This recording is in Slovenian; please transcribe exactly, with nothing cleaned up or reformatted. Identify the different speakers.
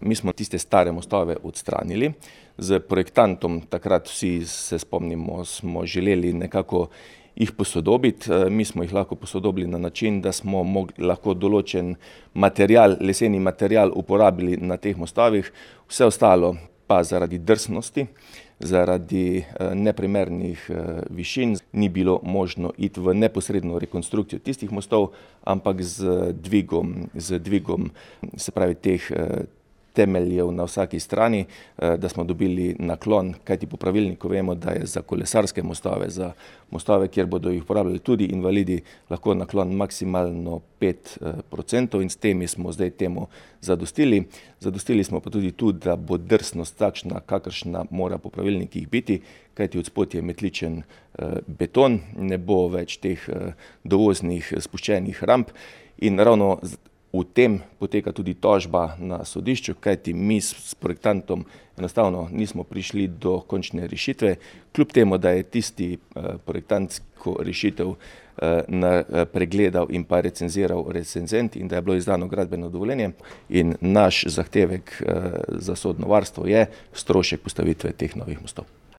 Speaker 1: Mi smo tiste stare mostove odstranili. Z projektantom, takrat vsi se spomnimo, smo želeli nekako jih posodobiti. Mi smo jih lahko posodobili na način, da smo mogli lahko določen material, leseni material uporabili na teh mostovih. Vse ostalo pa zaradi drsnosti, zaradi neprimernih višin ni bilo možno iti v neposredno rekonstrukcijo tistih mostov, ampak z dvigom, z dvigom, se pravi teh temeljev na vsaki strani, da smo dobili naklon, kajti po pravilniku vemo, da je za kolesarske mostove, za mostove, kjer bodo jih uporabljali tudi invalidi, lahko naklon maksimalno pet procentov in s temi smo zdaj temu zadostili. Zadostili smo pa tudi tu, da bo drsnost takšna, kakršna mora po pravilnikih biti, kajti od spod je metličen beton, ne bo več teh dovoznih spuščenih ramp in ravno v tem poteka tudi tožba na sodišču, kajti mi s projektantom enostavno nismo prišli do končne rešitve, kljub temu, da je tisti projektantsko rešitev pregledal in pa recenziral recenzent in da je bilo izdano gradbeno dovoljenje. In naš zahtevek za sodno varstvo je strošek postavitve teh novih mostov.